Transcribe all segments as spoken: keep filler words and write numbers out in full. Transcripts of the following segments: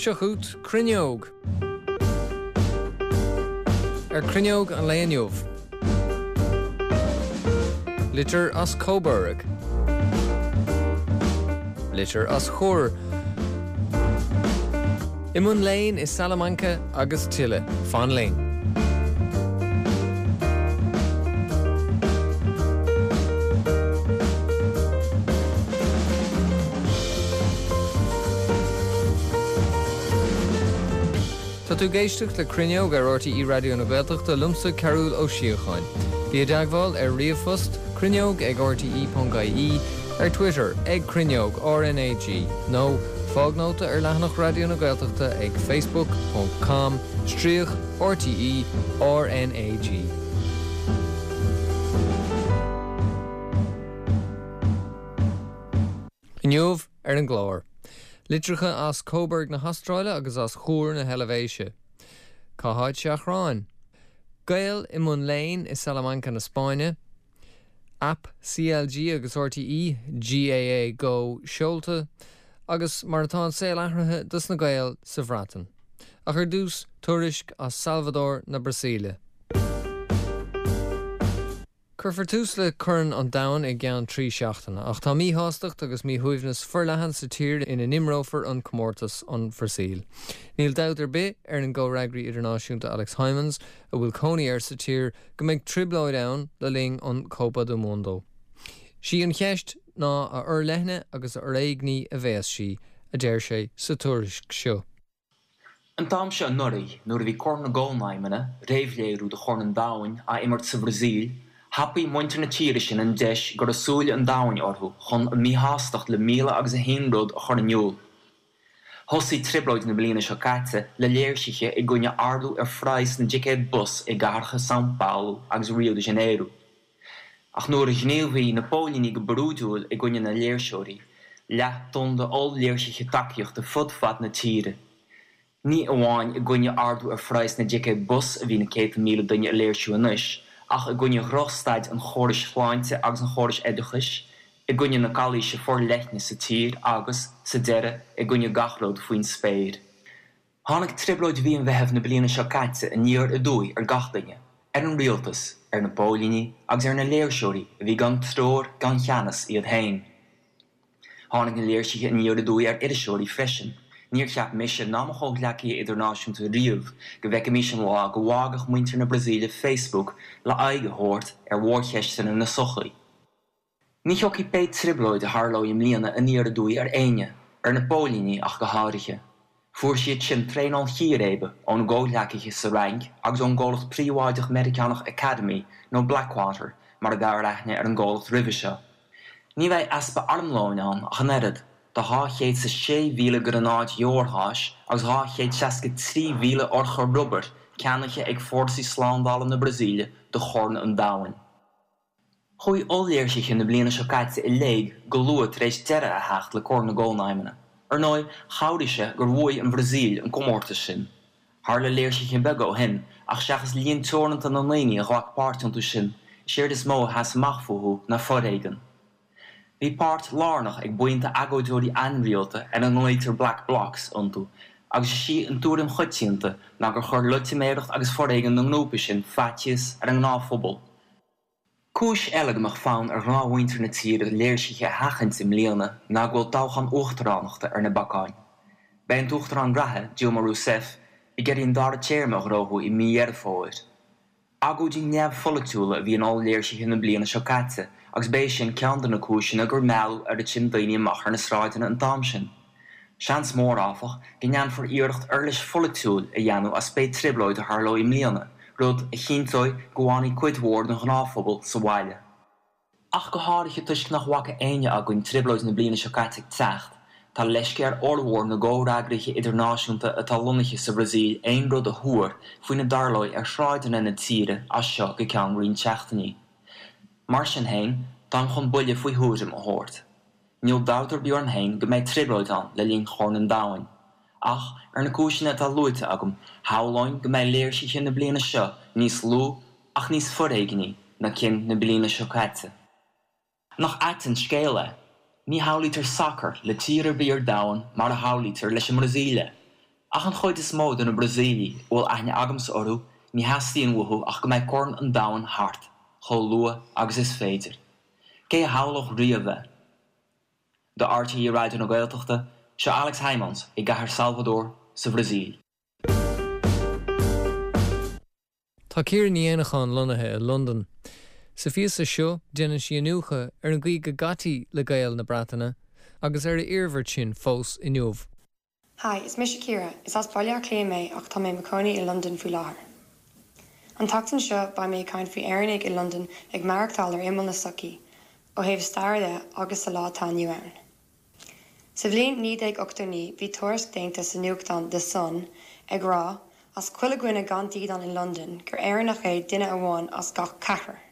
Seo chugat Cruinneog. Ar Cruinneog an lae inniu. Litir as Coburg. Litir as Chur. I mbun léinn i Salamanca agus tuilleadh, fan linn. Tá tú ag éisteacht le Cruinneog ar RTÉ Raidió na Gaeltachta liomsa Cearúll Ó Síocháin. Bí i dteagmháil ar ríomhphost cruinneog ag rte.ie, ar Twitter ag Cruinneog RNAG nó fág nóta ar leathanach Raidió na Gaeltachta ag facebook ponc com stríoc RTE RNAG. Inniu ar an gclár. Litreacha as Coburg na hAstráile agus as Chur na hEilvéise. Cá háit Seachráin? Gael i mbun léinn i Salamanca na Spáinne, Aip CLG agus RTÉ GAA Go seolta, agus mar atá an saol athraithe dos na Gaeil sa Bhreatain. Ach ar dtús, tuairisc as Salvador na Brasaíle. Cuirfear tús le Corn an Domhain i gceann trí seachtaine, ach tá míshástacht agus míshuaimhneas forleathan sa tír ina n-imreofar an comórtas, an Bhrasaíl. Níl dabht ar bith ar an gcomhfhreagraí idirnáisiúnta Alex Hijmans, a bhfuil cónaí air sa tír, go mbeidh trioblóid ann le linn an Copa do Mundo. Sí an cheist ná a fhorleithne agus a fhoréigní a bheas sí, a deir sé sa tuairisc seo. An t-am seo anuraidh, nuair a bhí Corn na gCónaidhmeanna, réamhléiriú do Chorn an Domhain, á imirt sa Bhrasaíl, thapaigh muintir na tíre sin an deis go raibh súile an domhain orthu chun a míshástacht le míle agus a haon rud a chur in iúl. Thosaigh trioblóid na bliana seo caite le léirsithe i gcoinne ardú ar phraghas na dticéad bus i gcathracha São Paulo agus Rio de Janeiro. Ach nuair a ghníomhaigh na póilíní go brúidiúil i gcoinne na léirseoirí, leath tonn d'oll-léirsithe tacaíochta fud fad na tíre. Ní amháin i gcoinne ardú ar phraghas na dticéad bus a bhí na céadta míle duine ag léirsiú anois, ach i gcoinne dhrochstaid an chórais shláinte agus an chórais oideachais, i gcoinne na calaoise forleithne sa tír agus, sa deireadh, i gcoinne gach rud faoin spéir. Tháinig trioblóid mhí an Mheithimh na bliana seo caite aniar aduaidh ar gach duine, ar an rialtas, ar na póilíní agus ar na léirseoirí a bhí gan treoir gan cheannas iad féin. Tháinig na léirsithe aniar aduaidh ar iriseoirí freisin. Níor cheap mise ná mo chomhghleacaithe idirnáisiúnta riamh go bhfeicfimis an lá go bhfágfadh muintir na Brasaíle Facebook le aghaidh a thabhairt ar mhórcheisteanna na sochaí. Ní thiocfaidh pé trioblóid a tharlóidh i mbliana aniar aduaidh ar éinne, ar na póilíní ach go háirithe. Fuair siad sin traenáil chíréibe óna gcomhghleacaithe sa Fhrainc agus ón gcomhlacht príobháideach Meiriceánach Academi nó Blackwater mar a b'fhearr aithne ar an gcomhlacht roimhe seo. Ní bheidh easpa armlóin ann ach an oiread, tá dhá chéad is a sé mhíle gránáid dheorgháis agus dhá chéad seasca trí mhíle urchar rubair ceannaithe ag fórsaí slándála na Brasaíle do Chorn an Domhain. Chuaigh oll-léirsithe na bliana seo caite i léig go luath tar éis deireadh a theacht le Corn na gCónaidhmeanna. Ar ndóigh, chabhraigh sé gur bhuaigh an Bhrasaíl an comórtas sin. Tharla léirsithe beaga ó shin, ach seachas líon teoranta na ndaoine a ghlac páirt iontu sin, is éard is mó a sheas amach fúthu ná foréigean. Bhí páirt lárnach ag buíonta agóideoirí ainrialta ar a nglaoitear Black Blocs iontu, agus is í an tuairim choitianta ná gur chuir loitiméireacht agus foréigean na ngrúpaí sin faitíos ar an ngnáthphobal. Cúis eile go mbeadh fonn ar ghnáthmhuintir na tíre léirsithe a sheachaint i mbliana ná go bhfuil toghchán uachtaránachta ar na bacáin. Beidh an t-uachtarán reatha, Dilma Rousseff, ag iarraidh an dara téarma a ghnóthú i mí Dheireadh Fómhair. Agóidí neamhpholaitiúla a bhí in oll-léirsithe na bliana seo caite agus b'é sin ceann de na cúiseanna gur mealladh oiread sin daoine amach ar na sráideanna an t-am sin. Seans mór, áfach, go ndéanfar iarracht uirlis pholaitiúil a dhéanamh as pé trioblóid a tharlóidh i mbliana, rud a chinnteoidh go bhfanfaidh cuid mhór den ghnáthphobal sa bhaile. Ach go háirithe toisc nach bhfaca éinne againn trioblóid na bliana seo caite ag teacht, tá leisce ar fhormhór na gcomhfhreagraithe idirnáisiúnta atá lonnaithe sa Bhrasaíl aon rud a thuar faoina dtarlóidh ar shráideanna na tíre as seo go ceann roinnt seachtainí. Mar sin féin, táim chun buille faoi thuairim a thabhairt. Níl dabht ar bith orm féin go mbeidh trioblóid ann le linn Chorn an Domhain. Ach, ar na cúiseanna atá luaite agam, shamhlóinn go mbeidh léirsithe na bliana seo níos lú ach níos foréigní ná cinn na bliana seo caite. Nach ait an scéal é? Ní shamhlaítear sacar le tír ar bith ar domhan mar a shamhlaítear leis an mBrasaíl é. Ach an chuid is mó de na Brasaíligh a bhfuil aithne agamsa orthu ní theastaíonn uathu ach go mbeidh Corn an Domhain thart chomh luath agus is féidir. Cé a shamhlódh riamh é? Do RTÉ Raidió na Gaeltachta, seo Alex Hijmans i gcathair Salvador sa Bhrasaíl. Tá Ciara Ní Éanacháin lonnaithe i Londain. Sa phíosa seo déanann sí iniúchadh ar an gcaoi go gcaití le Gaeil na Breataine agus ar a iarmhairt sin fós inniu. Hi, is mise Ciara, is as Baile Átha Cliath mé ach tá mé i mo chónaí i Londain faoi láthair. An tseachtain seo beidh mé ag caint faoi Éireannaigh i Londain ag maireachtáil ar imeall na sochaí, ó thaobh staire de agus sa lá atá inniu ann. Sa bhliain naoi déag ochtó naoi bhí tuairisc déanta sa nuachtán The Sun ag rá as chuile dhuine gan dídean i Londain gur Éireannach é duine amháin as gach ceathrar.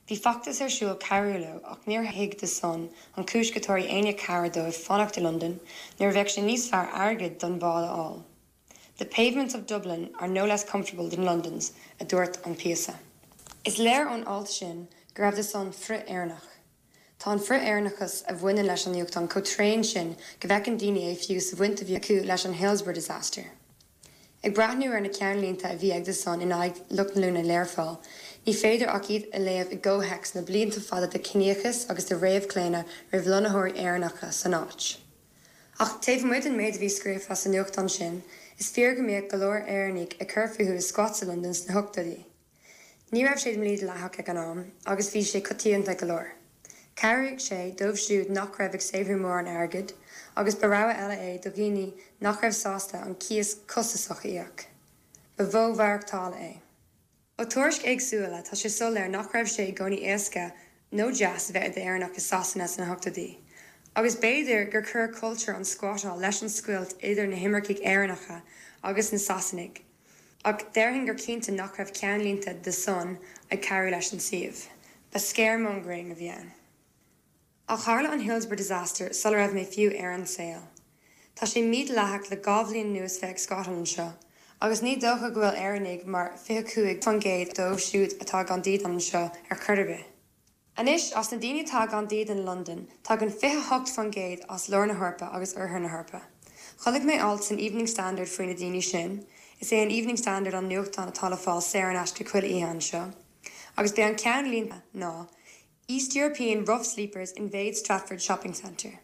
Bhí feachtas ar siúl cabhrú leo ach níor thuig The Sun an chúis go dtabharfadh éinne cabhair dóibh fanacht i Londain nuair a bheadh sé níos fearr airgead don bhád a fháil. The pavements of Dublin are no less comfortable than London's, a dúirt an píosa. Is léir ón alt sin go raibh The Sun frith-Éireannach. Tá an frith-Éireannachas a bhaineann leis an nuachtán chomh tréan sin go bhfeiceann daoine é fiú sa bhaint a bhí acu leis an Hillsborough disaster. Ag breathnú ar na ceannlínte a bhí ag The Sun in aghaidh lucht na Learpholl, ní féidir ach iad a léamh i gcomhthéacs na blianta fada de chiníochas agus de réamhchlaonadh roimh lonnaitheoirí Éireannacha san áit. Ach taobh amuigh den méid a bhí scríofa sa nuachtán sin, is fíor go mbíodh go leor Éireannaigh ag cur fúthu i squats i Londain sna hochtóidí. Ní raibh sé mídhleathach ag an am, agus bhí sé coitianta go leor. Chabhraigh sé dóibh siúd nach raibh ag saothrú mórán airgid, agus ba rogha eile é do dhaoine nach raibh sásta an cíos costasach a íoc. Ba mhodh maireachtála é. Ó tuairiscí éagsúla tá sé soiléir nach raibh sé i gcónaí éasca nó deas bheith i d'Éireannach i Sasana sna hochtóidí. Agus b'fhéidir gur chuir cultúr an squatáil leis an scoilt idir na himircigh Éireannacha agus na Sasanaigh. Ach déarfainn gur cinnte nach raibh ceannlínte The Sun ag cabhrú leis an suíomh. Ba scaremongering a bhí ann. Ach tharla an Hillsborough disaster sula raibh mé fiú ar an saol. Tá sé mídhleathach le dhá bhliain anuas bheith ag squatáil anseo, agus ní dócha go bhfuil Éireannaigh mar fiche cúig faoin gcéad dóibh siúd atá gan dídean anseo ar chor ar bith. Anois as na daoine atá gan dídean i Londain, tagann fiche hocht faoin gcéad as lár na hEorpa agus oirthear na hEorpa. Chonaic mé alt san Evening Standard faoi na daoine sin, is é an Evening Standard an nuachtán atá le fáil saor in aisce chuile oíche anseo, agus b'é an ceannlíne ná East European rough sleepers invade Stratford Shopping Centre.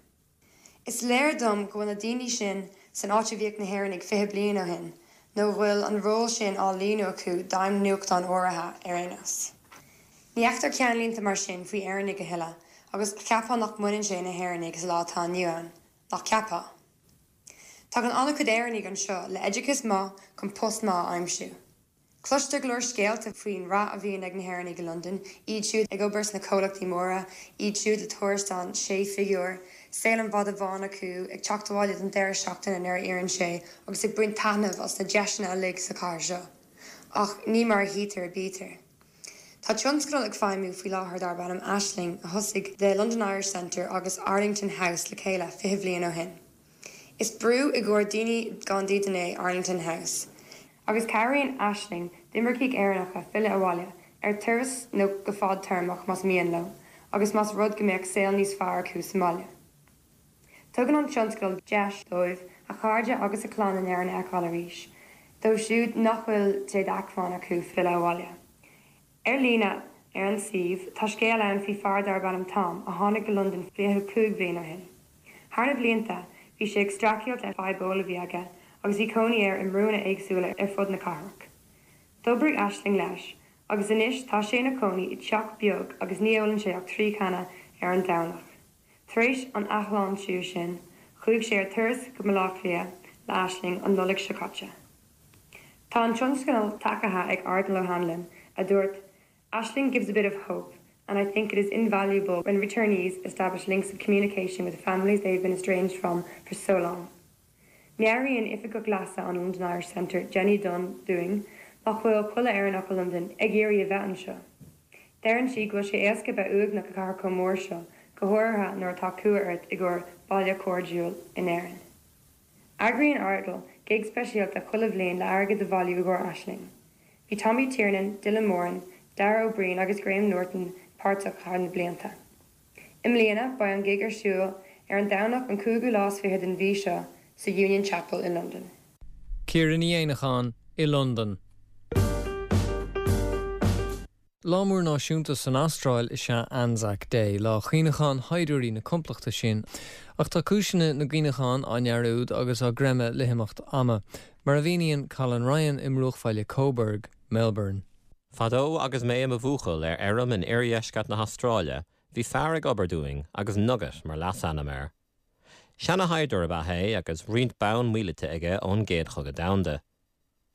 Is léir dom go bhfuil na daoine sin san áit a bhíodh na hÉireannaigh fiche bliain ó shin, nó go bhfuil an ról sin á líonadh acu d'ainm nuachtán áirithe ar aon nós. Ní fheictear ceannlínte mar sin faoi Éireannaigh a thuilleadh, agus cheapfá nach mbaineann sé na hÉireannaigh sa lá atá inniu ann, nach gceapfá. Tagann an-chuid Éireannaigh anseo le oideachas maith chun post maith a aimsiú. Cloistear go leor scéalta faoin rath a bhíonn ag na hÉireannaigh i Londain, iad siúd ag obair sna comhlachtaí móra, iad siúd le tuarastal sé figiúr, saol an mhadaidh bháin acu, ag teacht abhaile don deireadh seachtaine nuair a oireann sé agus ag baint taitneamh as na deiseanna uilig sa chathair seo. Ach ní mar a tchítear a bítear. Tá tionscadal ag feidhmiú faoi láthair darb ainm Aisling a thosaigh The London Irish Centre agus Arlington House le chéile fiche bliain ó shin. Is brú i gcomhair daoine gan dídean é Arlington House. Agus cabhraíonn Aisling d'imircigh Éireannacha filleadh abhaile, ar turas nó go fadtéarmach más mian leo, agus más rud go mbeadh saol níos fearr acu sa mbaile. Tugann an tionscadal deis dóibh a chairde agus a clann in Éirinn a fheiceáil arís, dóibh siúd nach bhfuil sé d'acmhainn acu filleadh abhaile. Ar líne ar an suíomh, tá scéal ann faoi fear darb ainm Tom a tháinig go Londain fiche cúig bliain ó shin. Thar na blianta, bhí sé ag streachailt le fadhb óil a bhí aige agus bhí cónaí air i mbrúnna éagsúla ar fud na cathrach. D'oibrigh Aisling leis, agus anois tá sé ina chónaí i dteach beag agus ní ólann sé ach trí channa ar an Domhnach. Tar éis an athshláintiú sin, chuaigh sé ar turas go Baile Átha Cliath le Aisling an Nollaig seo caite. Tá an tionscadal tacaithe ag Ardal O'Hanlon, a dúirt, Aisling gives a bit of hope, and I think it is invaluable when returnees establish links of communication with the families they have been estranged from for so long. Meabhraíonn Oifigeach Leasa an London Irish Centre, Jenny Dunne dúinn, nach bhfuil chuile Éireannach i Londain ag iarraidh a bheith anseo. Deireann sí go bhfuil sé éasca bheith uaigneach i gcathair chomh mór seo, go háirithe nuair atá cumha ort i gcomhair baile cairdiúil in Éirinn. Eagraíonn Ardal gig speisialta chuile bhliain le airgead a bhailiú i gcomhair Aisling. Bhí Tommy Tiernan, Dylan Moran, Dara Ó Briain agus Graham Norton páirteach thar na blianta. I mbliana beidh an gig ar siúl ar an Domhnach an cúigiú lá is fiche den mhí seo sa Union Chapel in London. Ciara Ní Éanacháin i Londain. Lá mór náisiúnta san Astráil is ea Anzac Day, lá cuimhneacháin shaighdiúirí na complachta sin, ach tá cúiseanna na gcuimhneachán á ndearúd agus á gcreimeadh le himeacht ama, mar a mhíníonn Colin Ryan i mbruachbhaile Coburg, Melbourne. Fadó agus mé i mo bhuachaill ar fheirm in oirdheisceart na hAstráile, bhí fear ag obair dúinn agus Nugget mar leasainm air. Seanashaighdiúir ab ea é agus roinnt bonn míleata aige ón gCéad Chogadh Domhanda.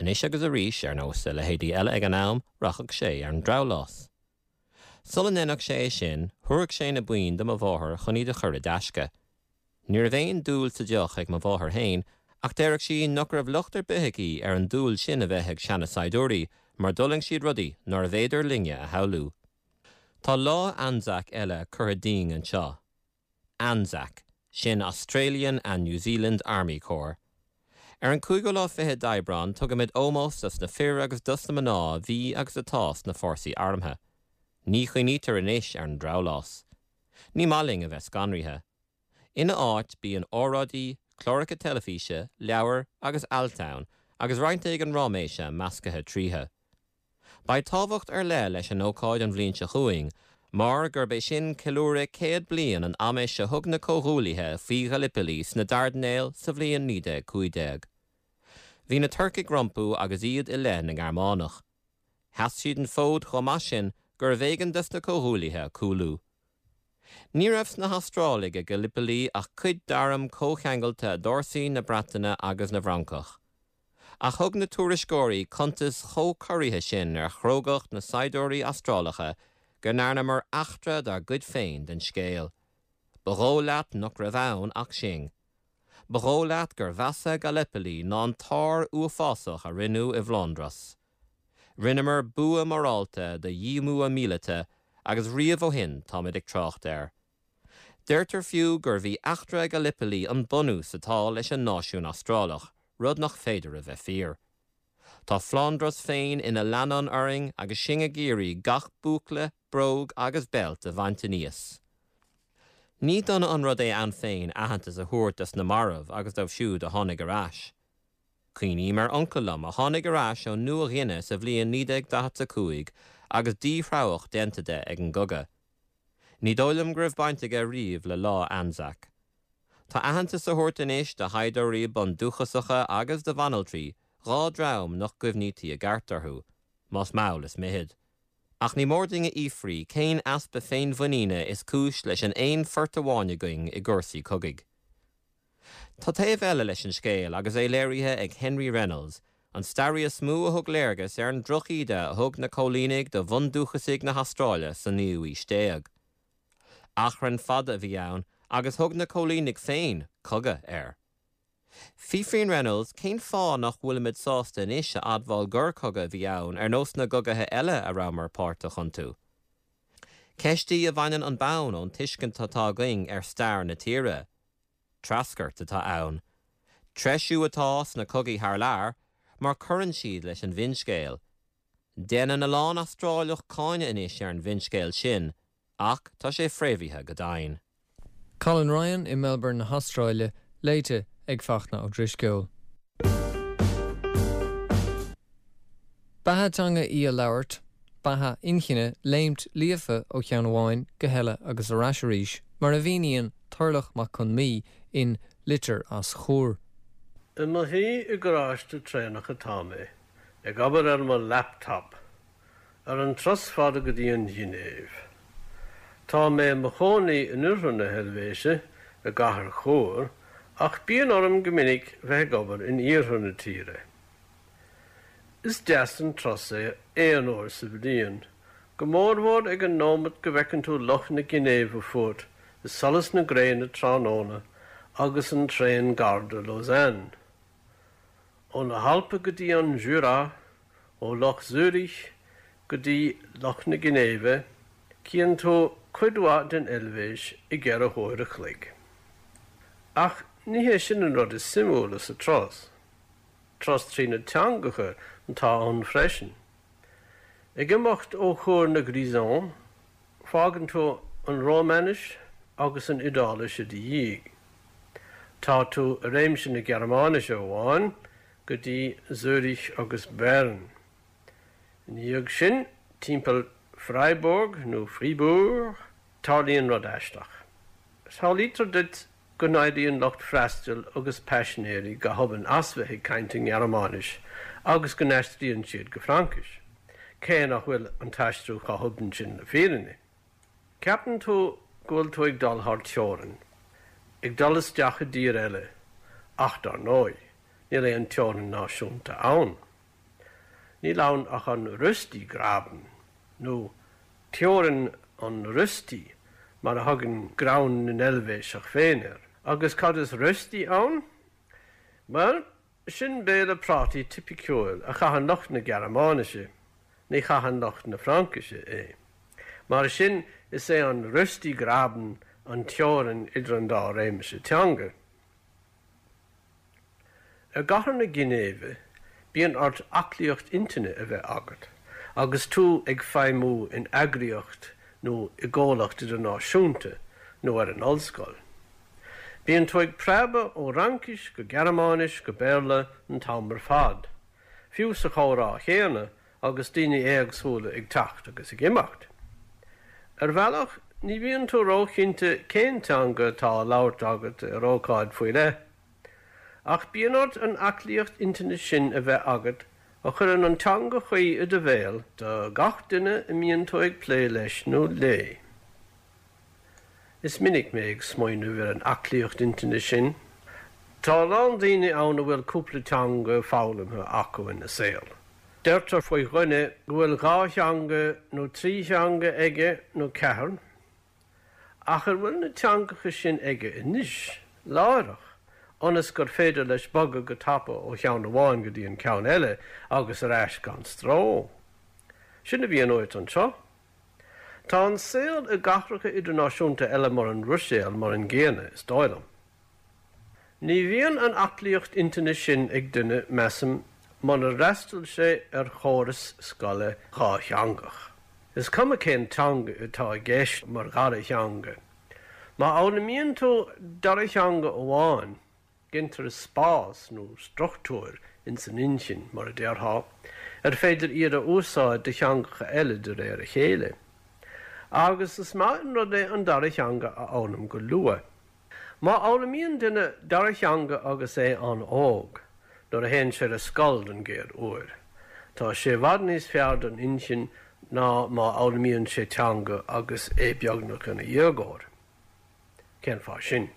Anois agus arís ar nós a leithéidí eile ag an am rachadh sé ar an drabhlás. Sula ndéanfadh sé é sin, thabharfadh sé na boinn do mo mháthair chun iad a chur i dtaisce. Ní raibh aon dúil sa deoch ag mo mháthair féin, ach déarfadh sí nach raibh locht ar bith aici ar an dúil sin a bheith ag seanasaighdiúirí, mar d'fhulaing siad rudaí nárbh fhéidir linne a shamhlú. Tá lá Anzac eile curtha dínn anseo. Anzac, sin Australian and New Zealand Army Corps. Ar an cúigiú lá fichead d'Aibreán tugaimid ómós dos na fir agus dos na mná a bhí agus atá sna fórsaí armtha. Ní chuimhnítear anois ar an drabhlás. Ní maith linn a bheith scanraithe. Ina áit bíonn óráidí, cláracha teilifíse, leabhair agus ailt ann, agus roinnt éigin ráiméise measctha tríothu. Beidh tábhacht ar leith leis an ócáid an bhliain seo chugainn, mar gurb é sin ceiliúradh céad bliain an amais a thug na Comhghuaillithe faoi Ghallipoli sna Dardanelles sa bhliain naoi déag cúig déag. Bhí na Turcaigh rompu agus iad i leith na nGearmánach. Sheas siad an fód chomh maith sin gurbh éigean dos na Comhghuaillithe cúlú. Ní raibh sna hAstrálaigh ag Gallipoli ach cuid d'arm comhcheangailte d'fhórsaí na Breataine agus na bhFrancach. Ach thug na tuairisceoirí cuntas chomh corraithe sin ar chrógacht na saighdiúirí Astrálacha go ndearnamar eachtra dár gcuid féin den scéal. Ba dhóigh leat nach raibh ann ach sinn. Ba dhóigh leat gur mheasa Gallipoli ná an t-ár uafásach a rinneadh i bhFlóndras. Rinneamar bua morálta de dhíomua míleata agus riamh ó shin táimid ag trácht air. Deirtear fiú gurbh í eachtra Gallipoli an bunús atá leis an náisiún Astrálach, rud nach féidir a bheith fíor. Tá Flóndras féin ina leannán orainn agus sinn ag iarraidh gach búcla, bróg agus beilt a bhaint aníos. Ní dona an rud é ann féin aitheantas a thabhairt dos na mairbh agus dóibh siúd a tháinig ar ais. Cuimhním ar uncail liom a tháinig ar ais ón Nua-Ghuine sa bhliain naoi déag daichead a cúig agus díthreabhach déanta de ag an gcogadh. Ní dóigh liom go raibh baint aige riamh le lá Anzac. Tá aitheantas á thabhairt anois do shaighdiúirí bundúchasacha agus do bhanaltraí, dhá dhream nach gcuimhnítí i gceart orthu, más mall is mithid. Ach ní mór dúinn a fhiafraí cén easpa féinmhuiníne is cúis leis an aon phort amháin againn i gcúrsaí cogaidh. Tá taobh eile leis an scéal agus é léirithe ag Henry Reynolds, an staraí is mó a thug léargas ar an drochíde a thug na coilínigh do bhundúchasaigh na hAstráile sa naoú haois déag. Achrann fada a bhí ann agus thug na coilínigh féin cogadh air. Fiafraíonn Reynolds cén fáth nach bhfuilimid sásta anois a admháil gur cogadh a bhí ann ar nós na gcogaithe eile a rabhamar páirteach iontu. Ceist í a bhaineann an bonn ón tuiscint atá againn ar stair na tíre. Treascairt atá ann. Treisiú atá sna cogaí thar lear, mar cuireann siad leis an bhfinscéal. Déanann a lán Astráileach cáineadh anois ar an bhfinscéal sin, ach tá sé fréamhaithe go domhain. Colin Ryan i Melbourne na hAstráile, léite ag Fachtna Ó Drisceoil. Beatha teanga í a labhairt, beatha inchinne, léimt líofa ó cheann amháin go heile agus ar ais arís, mar a mhíníonn Turlough Mac Con Mí in Litir as Chur. I mo shuí i ngaráiste traenach atá mé, ag obair ar mo laptop, ar an turas fada go dtí an Ghinéiv. Tá mé i mo chónaí in oirthear na hEilvéise, i gcathair Chur, ach bíonn orm go minic bheith ag obair in iarthar na tíre. Is deas an turas é aon uair sa bhliain, go mórmhór ag an nóiméad go bhfeiceann tú Loch na Ginéive fút i solas na gréine tráthnóna agus an traein gar do Lausanne. Ó na hAlpa go dtí an Jura, ó Loch Zürich go dtí Loch na Ginéive, Cíonn tú cuid mhaith den Eilvéis i gceithre huaire a chloig. Ach ní hé sin an rud is suimiúla sa turas. Turas trí na teangacha atá ann freisin. Ag imeacht ó Chur na Grisons, fágann tú an Rómáinis agus an Iodáilis i do dhiaidh. Tá tú i réimse na Gearmáinise amháin go dtí Zürich agus Bern. Ina dhiaidh sin, timpeall Freiburg nó Fribourg, tarlaíonn rud aisteach. Samhlaítear duit go n-éiríonn lucht freastail agus paisinéirí go hobann as bheith ag caint i nGearmáinis agus go n-aistríonn siad go Fraincis, cé nach bhfuil an t-aistriú chomh hobann sin le fírinne. Ceapann tú go bhfuil tú ag dul thar teorainn, ag dul isteach i dtír eile, ach dar ndóigh, níl aon teorainn náisiúnta ann. Níl ann ach an Röstigraben, nó teorainn an rösti, mar a thugann greann na nEilvéiseach féin air. Agus cad is rösti ann? Bhuel, sin béile prátaí tipiciúil a chaitheann lucht na Gearmáinise, ní chaitheann lucht na Fraincise é. Mar sin is é an Röstigraben an teorainn idir an dá réimse teanga. I gcathair na Ginéive, bíonn ort aclaíocht intinne a bheith agat, agus tú ag feidhmiú in eagraíocht nó i gcomhlacht idirnáisiúnta nó ar an ollscoil. Bíonn tú ag preabadh ó Fhraincis go Gearmáinis go Béarla an t-am ar fad, fiú sa chomhrá chéanna agus daoine éagsúla ag teacht agus ag imeacht. Ar bhealach ní bhíonn tú róchinnte cén teanga atá á labhairt agat ar ócáid faoi leith. Ach bíonn ort an aclaíocht intinne sin a bheith agat a chuireann an teanga chuí i do bhéal do gach duine a mbíonn tú ag plé leis nó léi. Is minic mé ag smaoineamh ar an aclaíocht intinne sin. Tá a lán daoine ann a bhfuil cúpla teanga foghlamtha acu ina saol. Deirtear faoi dhuine go bhfuil dhá theanga nó trí theanga aige nó ceathair, ach an bhfuil na teangacha sin aige anois, láithreach, ionas gur féidir leis bogadh go tapa ó cheann amháin go dtí an ceann eile agus ar ais gan stró. Sin a bhíonn uait anseo. Tá an saol i gcathracha idirnáisiúnta eile mar an Bhruiséil mar an gcéanna, is dóigh liom. Ní bhíonn an aclaíocht intinne sin ag duine, measaim, munar fhreastail sé ar chóras scoile dhátheangach. Is cuma cén teanga atá i gceist mar dhara theanga. Má fhoghlaimíonn tú dara theanga amháin, gintear spás nó struchtúir ins an intinn, mar a déarfá, ar féidir iad a úsáid do theangacha eile de réir a chéile. Agus is maith an rud é an dara theanga a fhoghlaim go luath. Má fhoghlaimíonn duine dara theanga agus é an-óg, nuair a théann sé ar scoil den gcéad uair, tá sé i bhfad níos fearr don intinn ná má fhoghlaimíonn sé teanga agus é beagnach ina dhéagóir. Cén fáth sin?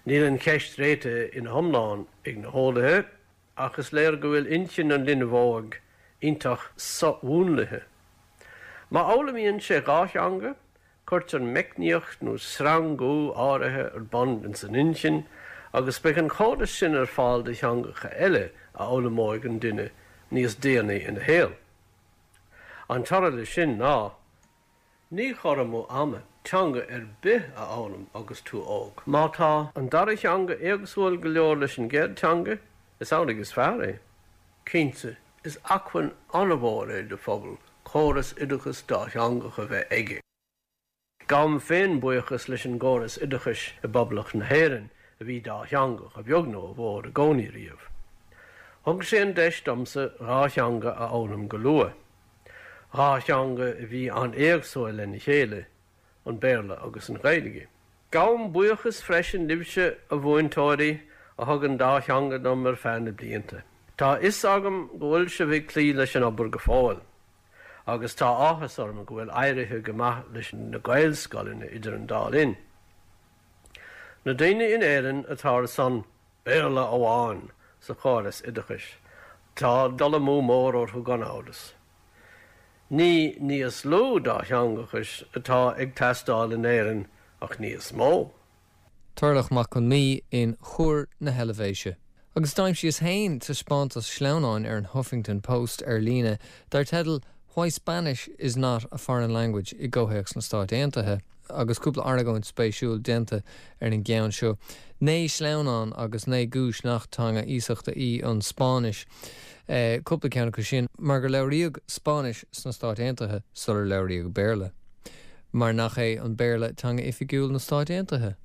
Níl an cheist réitithe ina hiomlán ag na heolaithe, ach is léir go bhfuil intinn an linbh óig iontach so-mhúnlaithe. Má fhoghlaimíonn sé dhá theanga, cuirtear meicníocht nó sreangú áirithe ar bun ins an intinn agus beidh an córas sin ar fáil do theangacha eile a fhoghlaimeoidh an duine níos déanaí ina shaol. An toradh leis sin ná. Ní cur amú ama teanga ar bith a fhoghlaim agus tú óg. Má tá an dara theanga éagsúil go leor leis an gcéad teanga, is amhlaidh is fearr é. Cinnte, is acmhainn an-mhór é do phobal córas oideachais dátheangach a bheith aige. Gabhaim féin buíochas leis an gcóras oideachais i bPoblacht na hÉireann a bhí dátheangach, a bheag nó a mhór, i gcónaí riamh. Thug sé an deis domsa dhá theanga a fhoghlaim go luath. Dhá theanga a bhí an-éagsúil lena chéile, an Béarla agus an Ghaeilge. Gabhaim buíochas freisin libhse, a mhúinteoirí, a thug an dá theanga dom ar feadh na blianta. Tá a fhios agam go bhfuil sibh ag cloí leis an obair go fóill, agus tá áthas orm go bhfuil éirithe go maith leis na Gaelscoileanna idir an dá linn. Na daoine in Éirinn atá ar son Béarla amháin sa chóras oideachais, tá dul amú mór orthu gan amhras. Ní níos lú dátheangachais atá ag teastáil in Éirinn ach níos mó. Turlach Mac Con Mí in Chur na hEilvéise. Agus d'aimsíos féin taispeántas sleamhnáin ar an Huffington Post ar líne dar teideal Why Spanish is not a Foreign Language i gcomhthéacs na Stát Aontaithe. agus cúpla argóint spéisiúil déanta ar an gceann seo. Naoi sleamhnán agus naoi gcúis nach teanga iasachta í an Spáinnis. Eh, cúpla ceann acu sin mar gur labhraíodh Spáinnis sna Stáit Aontaithe sular labhraíodh Béarla. Mar nach é an Béarla teanga oifigiúil na Stát Aontaithe.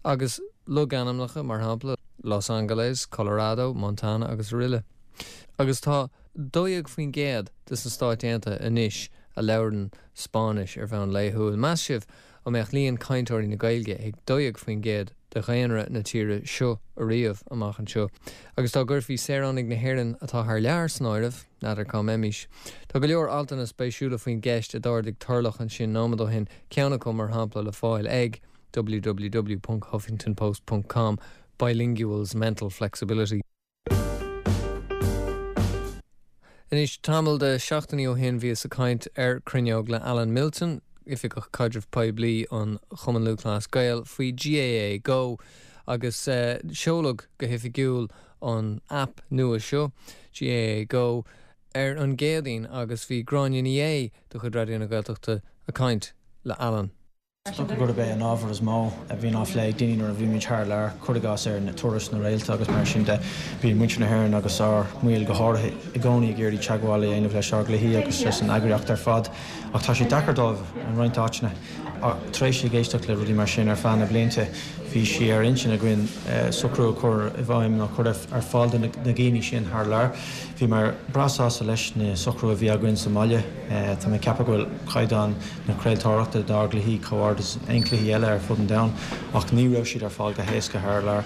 Agus Logainmneacha mar shampla Los Angeles, Colorado, Montana agus araile. Agus tá dó dhéag faoin gcéad de na Stáit Aontaithe anois a labhrann Spáinnis ar bhonn laethúil. Meas sibh an mbeadh líon cainteoirí na Gaeilge ag dó dhéag faoin gcéad de dhaonra na tíre seo ariamh amach anseo. Agus dá gcuirfí saoránaigh na hÉireann atá thar lear san áireamh, n'fheadar cá mbeimis. Tá go leor altanna spéisiúla faoin gceist a d'ardaigh Turlough ansin nóiméad ó shin ceann acu mar shampla le fáil ag www.huffingtonpost.com bilinguals mental flexibility. Anois tamall de seachtainí ó shin bhíos ag caint ar Cruinneog le Alan Milton, Oifigeach Caidrimh Poiblí an Chumann Lúthchleas Gael faoi GAA Go agus uh, seoladh go hoifigiúil an app nua seo GAA Go ar an gCéadaoin agus bhí Gráinne Ní Aodha de chuid Raidió na Gaeltachta ag caint le Alan. Is dócha gurb é an ábhar is mó a bhíonn á phlé ag daoine nuair a bhímid thar lear, cuir i gcás ar na turais na réalta agus mar sin de bíonn muintir na hÉireann agus ár mbaill go háirithe i gcónaí ag iarraidh teagmháil a dhéanamh leis ár gcluichí agus leis an eagraíocht ar fad ach tá sé deacair dóibh in roinnt áiteanna. Tar éis ag éisteacht le rudaí mar sin ar feadh na blianta bhí sé ar intinn againn socrú a chur i bhfeidhm nó chur ar fáil do na daoine sin thar lear. Bhíomar breá sásta leis na socrú a bhí againn sa mbaile Tá mé ag ceapadh go bhfuil caighdeán na craoltóireachta dár gcluichí chomh hard is aon cluichí eile ar fud an domhain ach ní raibh siad ar fáil go héasca thar lear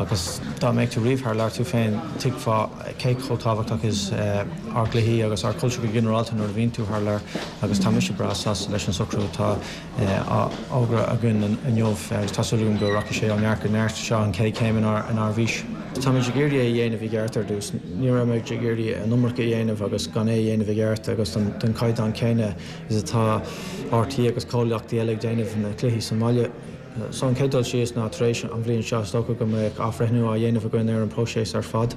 agus dá mbeadh tú riamh thar lear tú féin tuigfeá cé chomh tábhachtach is ár gcluichí agus ár cultúr go ginearálta nuair a bhíonn tú thar lear agus tá mise breá sásta leis an socrú atá á fhógra againn inniu agus tá súil agam go rachaidh sé ó neart go neart seo an chéad chéim inár inár bhfís. Táimid ag iarraidh é a dhéanamh i gceart ar dtús. Ní raibh ag iarraidh an iomarca a dhéanamh agus gan é a dhéanamh i gceart agus den caighdeán céanna is atá RTÉ agus comhlachtaí eile ag déanamh na cluichí sa mbaile. So an chéad dul síos ná tar éis an bhliain seo is dócha go mbeidh athbhreithniú á dhéanamh againn ar an próiseas ar fad.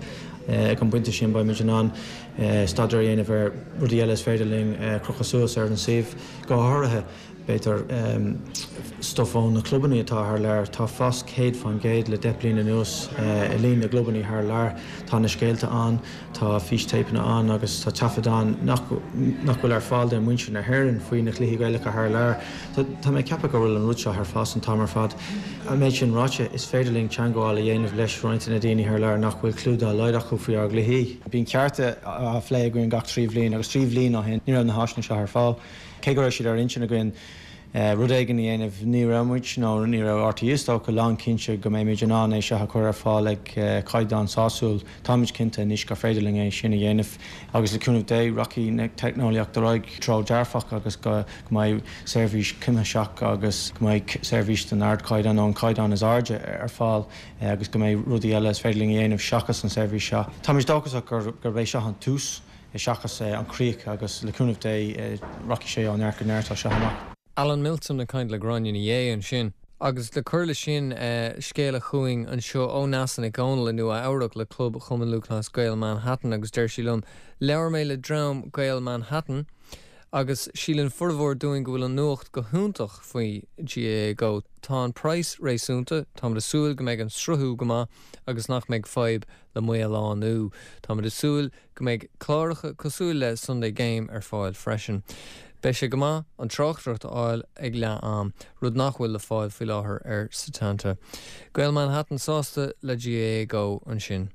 Ag an bpointe sin beimid in ann staidéar a dhéanamh ar rudaí eile is féidir linn crochadh suas ar an suíomh go háirithe. B'fhéidir stuif ó na clubanna atá thar lear, tá fás céad faoin gcéad le deich bliana anuas i líon na gclubanna thar lear. Tá na scéalta ann, tá fístéipeanna ann agus tá taifid ann nach nach bhfuil ar fáil do mhuintir na hÉireann faoi na cluichí Gaelacha thar lear. Tá mé ag ceapadh go bhfuil an rud seo ar fás an t-am ar fad. An méid sin ráite is féidir linn teagmháil a dhéanamh leis roinnt de na daoine thar lear nach bhfuil clue dá laghad acu faoi ár gcluichí. Bíonn cearta á phlé againn gach trí bhliain agus trí bhliain ó shin ní raibh na háiseanna seo ar fáil. Cé go raibh siad ar intinn againn rud éigin a dhéanamh ní raibh muid nó ní raibh RTÉ is dócha lánchinnte go mbeimid in ann é seo a chur ar fáil ag caighdeán sásúil. Táimid cinnte anois gur féidir linn é sin a dhéanamh agus le cúnamh Dé rachaidh na teicneolaíocht ar aghaidh treo dearfach agus go mbeidh seirbhís cuimsitheach agus go mbeidh seirbhís den ardchaighdeán nó an caighdeán is airde ar fáil agus go mbeidh rudaí eile is féidir linn a dhéanamh seachas an seirbhís seo. Táimid dóchasach gur gurb é seo an tús seachas an chríoch agus le cúnamh Dé rachaidh sé ó neart go neart as seo amach. Alan Milton ag caint le Gráinne Ní Aodha ansin. Agus le cur leis sin scéal a chuaigh anseo ó Neasa Nic Dhomhnaill i Nua Eabhrac le Club Chumann Lúthchleas Gael Manhattan agus deir sí liom, Labhair mé le dream Gael Manhattan agus síleann formhór dúinn go bhfuil an nuacht go hiontach faoi GAA Go. Tá an praghas réasúnta, Táimid ag súil go mbeidh an sruthú go maith agus nach mbeidh fadhb le maolánú. Táimid ag súil go mbeidh cláracha cosúil le Sunday Game ar fáil freisin. Beidh sé go maith an tráchtaireacht a fháil ag leath am, rud nach bhfuil le fáil faoi láthair ar Setanta. Gael Manhattan sásta le GAA Go ansin.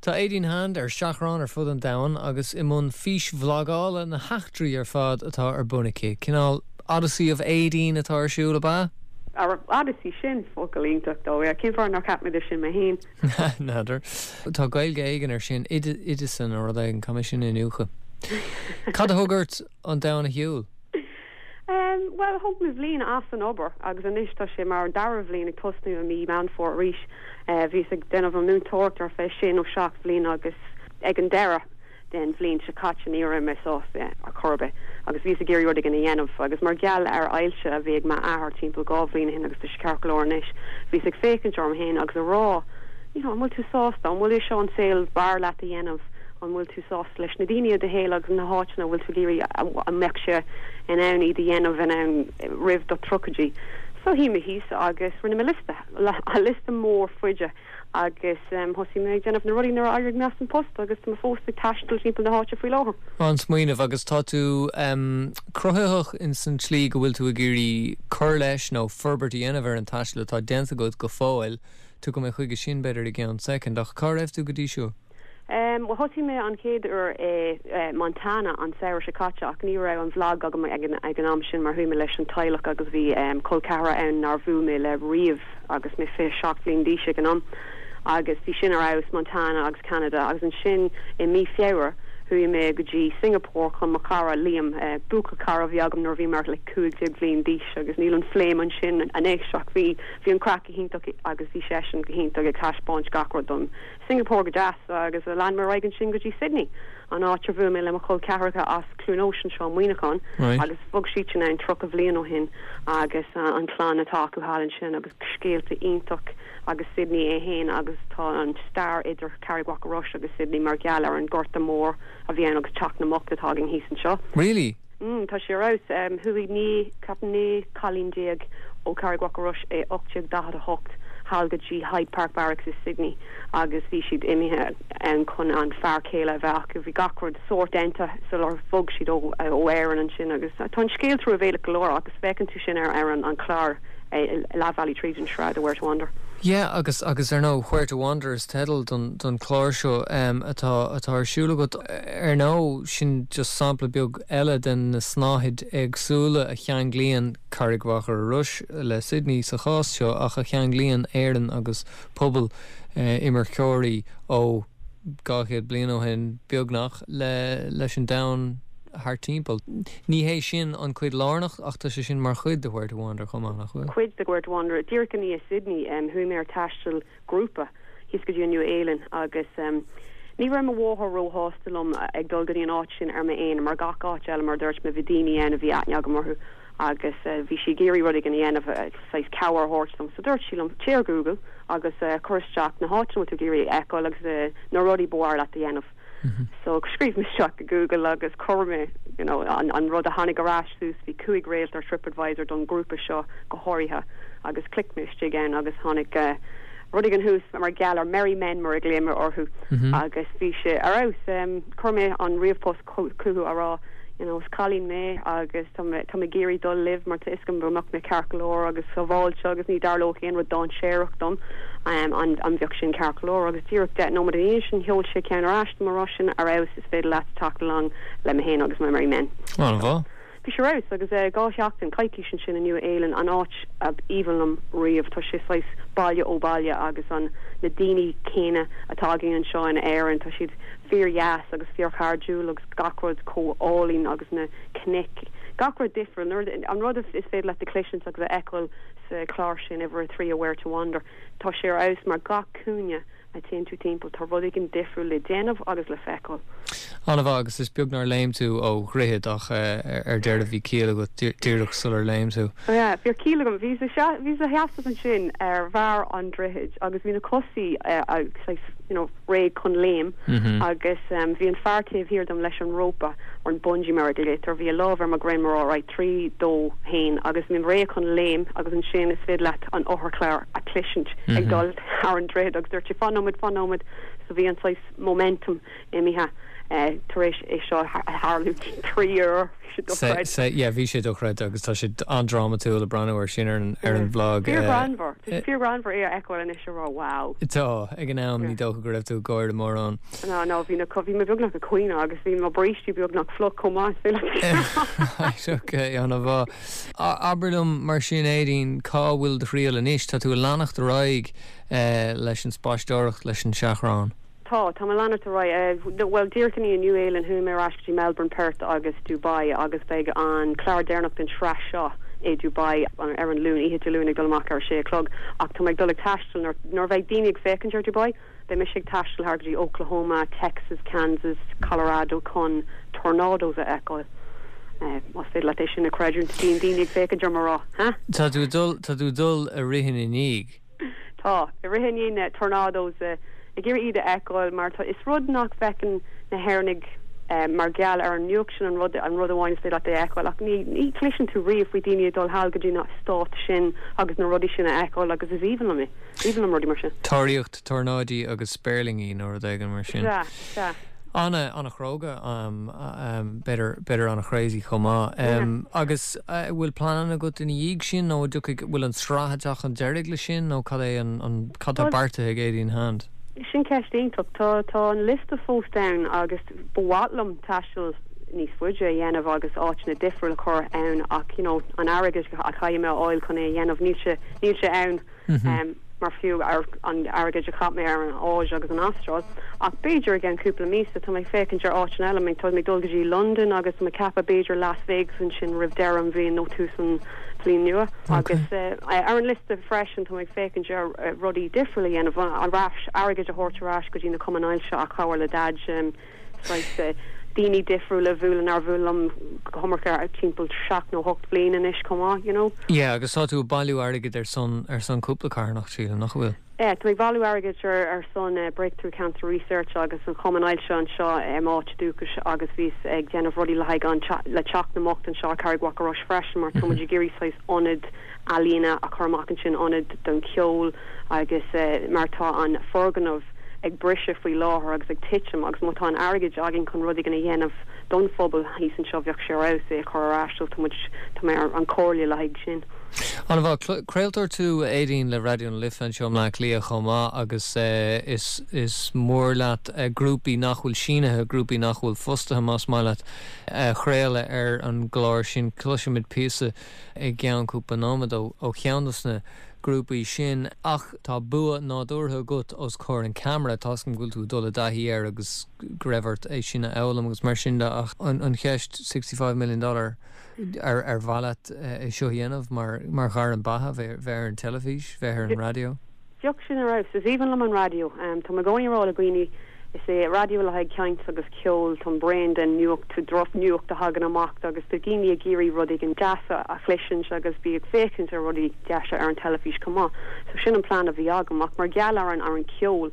Tá Aideen Hand ar seachrán ar fud an domhain agus i mbun físbhlagála na heachtraí ar fad atá ar bun aici. Cineál Odyssey of Aideen atá ar siúl ab ea? Ar Odyssey sin focal iontach dó, cén fáth nár cheap mé de sin mé féin. N'fheadar. Tá Gaeilge éigin ar sin Oideasan nó rud éigin caithfidh mé sin a iniúchadh. Cad a thug ort an domhan a shiúl? Um, well thóg mé bliain as an obair agus anois tá sé mar an dara bhliain ag tosnú i mí Meán Fómhair arís. Uh, bhíos ag déanamh an múinteoireacht ar feadh sé nó seacht bhliain agus ag an deireadh den bhliain seo caite ní raibh mé sásta ar chor ar bith agus bhíos ag iarraidh rud éigin a dhéanamh agus mar gheall ar ailse a bhí ag m'athair timpeall dhá bhliain ó shin agus tá sé ceart go leor anois bhíos ag féachaint orm féin agus a rá you know, an bhfuil tú sásta an bhfuil seo an saol b'fhearr leat a dhéanamh an bhfuil tú sásta leis na daoine i do shaol agus na háiteanna bhfuil tú ag iarraidh a mbeadh sé in ann iad a dhéanamh in ann roimh do tríochaidí. So shuigh mé thíos agus rinne mé liosta, liosta mór fada agus thosaigh mé ag déanamh na rudaí nuair a d'éirigh mé as an post agus tá mé fós ag taisteal timpeall na háite faoi láthair. An-smaoineamh agus tá tú um, cruthaitheach in san tslí go bhfuil tú ag iarraidh cur leis nó forbairt a dhéanamh ar an taisteal atá déanta agat go fóill, tú go mé chuige sin b'fhéidir i gceann soicind ach cá raibh tú go dtí seo. Um, well thosaigh mé an chéad uair i uh, Montana an samhradh seo caite ach ní raibh an vlog agam ag an, ag an am sin mar chuaigh mé leis an teaghlach agus bhí um, col ceathracha ann nár bhuail mé le riamh agus mé fiche seacht bliain d'aois ag an am. agus bhí sin ar fheabhas Montana agus Canada agus ansin i mí Feabhra chuaigh mé go dtí Singapore chun mo chara Liam uh, buachaill cara bhí agam nuair bhí mar le cúig déag bliain d'aois agus níl an flame ansin anois ach bhí bhí an craic go hiontach agus bhí seisean go hiontach ag taispeáint gach rud dom. Singapore go deas agus a lean mar an sin go dtí Sydney an áit ar bhuail mé le mo chol ceathracha as Cluain Eois anseo Muineachán Right. agus bhog siad sin ann tríocha bliain ó shin agus uh, an clann atá acu thall ansin agus scéalta iontach agus Sydney é féin agus tá an stair idir Carraig Mhachaire Rois agus Sydney mar gheall ar an Gorta Mór a bhí ann agus teach na mbocht atá againn thíos anseo. Really? Mm, tá sé rás um, chuaigh naoi cap naoi cailín déag ó Carraig Mhachaire Rois é ocht déag daichead a hocht thall go dtí Hyde Park Barracks i Sydney agus bhí siad imithe an chun an fear céile a bheith acu bhí gach rud sórt déanta sular bhog siad ó ó Éirinn ansin agus tá an scéal truamhéalach go leor agus feiceann tú sin ar ar an an clár leath bealaigh tríd an sraith Where to Wander. Yeah, agus agus ar ndóigh Where to Wander is teideal don don chlár seo um, atá atá ar siúl agat ar ndóigh sin just sampla beag eile den na snáthaid éagsúla a cheanglaíonn Carraig Mhachaire Rois le Sydney sa chás seo ach a cheanglaíonn Éirinn agus pobal uh, imirceoirí ó dhá chéad bliain ó shin beagnach le leis an domhan thar timpeall. Ní hé sin an chuid lárnach ach tá sé sin mar chuid de Where to Wander chomh maith nach bhfuil. Cuid de Where to Wander díreach i ndiaidh Sydney um, chuaigh mé ar taisteal grúpa thíos go dtí Nua-Shéalainn agus um, ní raibh mo mháthair róshásta liom ag dul go dtí an áit sin ar m'aonar mar gach áit eile mar dúirt mé bhí daoine ann a bhí aithne agam orthu agus uh, bhí sí ag iarraidh rud éigin a dhéanamh uh, saghas cabhair a thabhairt dom so dúirt sí liom téigh ar Google agus uh, cuir isteach na háiteanna tú ag iarraidh a fheiceáil agus uh, na rudaí ba mhaith leat a dhéanamh. So scríobh mé isteach go Google agus chuir mé you know, an, an rud a tháinig ar ais suas bhí cúig réalt ar TripAdvisor don grúpa seo go háirithe agus click mé isteach ann agus tháinig uh, rud éigin thuas mar gheall ar Merry Men mar a glaoimid orthu Mm -hmm. agus bhí sé ar fheabhas um, chuir mé an ríomhphost chucu a rá you know, is cailín mé agus tá mé tá mé ag iarraidh dul libh mar tá a fhios agam go mbeadh mé ceart go leor agus sábháilte agus ní tharlódh aon rud dainséarach dom um, an an bheadh sin ceart go leor agus díreach deich nóiméad ina dhiaidh sin sheol sé ceann ar ais mar rá sin ar fheabhas is féidir leat teacht along le mé féin agus my Merry Men. An-mhaith? Bhí sé ar fheabhas agus uh, dhá sheachtain coicís ansin in Nua-Shéalainn an áit ab aoibhinn liom riamh tá sé saghas baile ó baile agus an na daoine céanna atá againn anseo in Éirinn tá siad fíordheas agus fíorchairdiúil agus gach rud chomh hálainn agus na cnoic. Gach rud difriúil an rud is féidir leat a chloisint agus a fheiceáil sa chlár sin uimhir a trí Where to Wander. Tá sé ar fheabhas mar gach cúinne a téann tú timpeall tá rud éigin difriúil le déanamh agus le feiceáil. An-mhaith agus is beag nár léim tú ó dhroichead ach ar deireadh bhí ciall agat díreach sular léim tú. Ja, bhí ciall agam bhí bhí a sheasamh ansin ar bharr an droichid agus bhí na cosa uh, you know, réidh chun léim Mm -hmm. agus um, bhí an fear taobh thiar dom leis an rópa ar an bungee mar a glaoitear bhí a lámh ar mo dhroim mar rá trí dó haon agus mé réidh chun léim agus ansin is féidir leat an otharcharr a chloisint mm -hmm. ag dul thar an droichead agus dúirt sé fan nóiméad fan nóiméad so bhí an saghas momentum imithe uh, tar éis é seo tharlú trí uair Yeah, bhí sé dochreidte agus tá sé an-drámatúil ag breathnú ar sin ar an ar an vlog. Fíorghreannmhar fíorghreannmhar é a fheiceáil anois rá wow. Tá ag an am ní dócha go raibh tú ag gáire mórán. No no bhí na bhí mé beagnach ag caoineadh agus bhí mo bhrístí beagnach fliuch chomh maith Okay an-mhaith. Abair liom mar sin Aideen cá bhfuil do thriall anois tá tú ag leanacht ar aghaidh leis an spaisteoireacht leis an seachrán. Tá tá mé ag leanacht ar aghaidh well díreach i ndiaidh Nua-Shéalainn chuaigh mé ar ais go Melbourne Perth agus Dubai agus beidh an clár deireanach den tsraith seo i Dubai ar an Luan oíche Luan ag dul amach ar sé clog ach tá ag dul ag taisteal nuair bheidh daoine ag féachaint ar Dubai beidh mise ag taisteal thar go dtí Oklahoma, Texas, Kansas, Colorado chun tornadoes a fheiceáil. Uh, Más féidir leat é sin a chreidiúint bíonn daoine ag féachaint ar mar rá. Tá tú dul tá tú dul ag rith ina ndiaidh. Tá ag rith i ndiaidh na tornadoes uh, ag iarraidh iad a fheiceáil mar tá is rud nach bhfeiceann na hÉireannaigh Mar gheall ar an nuacht sin an rud an rud amháin is féidir leat é a fheiceáil ach ní ní chloiseann tú riamh faoi daoine ag dul thall go dtí na stáit sin agus na rudaí sin a fheiceáil agus is aoibhinn liom é. Aoibhinn liom rudaí mar sin. Tóraíocht tornáidí agus spéirlingí nó rud éigin mar sin. Sea, sea. Ana ana-chróga um, um, b'fhéidir b'fhéidir ana-crazy chomh maith. Um, agus uh, bhfuil plean agat ina dhiaidh sin nó bhfuil an tsraith ag teacht chun deiridh le sin nó cad é an, an cad tá beartaithe ag Aideen Hand? Sin ceist iontach tá tá an liosta fós ann agus ba mhaith liom taisteal níos faide a dhéanamh agus áiteanna difriúla a chur ann ach you know, an airgead a chaithfidh mé a fháil chun é a dhéanamh níl sé níl sé ann mm -hmm. um, mar fiú ar an airgead a chaith mé ar an Áis agus an Astráil ach b'fhéidir i gceann cúpla míosa tá mé féachaint ar áiteanna eile mé tá mé dul go dtí London agus mé ceapadh b'fhéidir Las Vegas ansin roimh deireadh an bhliain nó tús an bhliain nua agus uh, ar an liosta freisin tá ag féachaint ar uh, rudaí difriúla a dhéanamh ar ais airgead a thabhairt ar ais go dtí na cumainn ailse a chabhair le dad um, uh, daoine difriúla bhuail ar bhuail liom go ar timpeall seacht nó ocht bliain anois chomh maith you know. Yeah, agus tá tú ag bailiú airgead ar son ar son cúpla carthanacht sílim nach bhfuil. Yeah, tá ag bailiú airgead ar ar son uh, Breakthrough Cancer Research agus an Cumann Ailse anseo um, áit dúchais agus bhíos ag déanamh rudaí le haghaidh an le Teach na mBocht anseo Carraig Mhachaire Rois freisin mar tá muid ag iarraidh saghas ionad ealaíne a chur amach ansin ionad don cheol agus uh, mar tá an foirgneamh ag briseadh faoi láthair agus ag titim agus má tá an airgead againn chun rudaí a dhéanamh don phobal thíos anseo bheadh sé ar é chur ar ais tá mé ar an chomhairle le haghaidh sin. An-mhaith craoltóir tú Aideen le Raidió na Life anseo i mBleá Cliath chomh maith agus uh, is, is mór leat uh, grúpaí nach bhfuil sínithe grúpaí nach bhfuil fostaithe más maith leat uh, chraoladh ar an gclár sin cloisfimid píosa i gceann cúpla nóiméad ó cheann de na grúpaí sin ach tá bua nádúrtha agat os comhair an camera tá go bhfuil tú dul i dtaithí air agus go raibh ort é sin a fhoghlaim agus mar sin de ach an, an cheist sixty five million dollar ar ar mhaith leat é seo dhéanamh mar mar ghairm beatha bheith ar an teilifís bheith ar an raidió. Bheadh sin ar fheabhas is aoibhinn liom an raidió um, Tá mé i gcónaí ag rá le daoine is é raidió le haghaidh caint agus ceol tá bréan den nuacht drochnuacht a thagann amach agus tá daoine ag iarraidh rudaí an deasa a chloisint agus bí ag féachaint ar rudaí deasa ar an teilifís chomh maith. So sin an plan a bhí agam ach mar gheall ar an ar an ceol.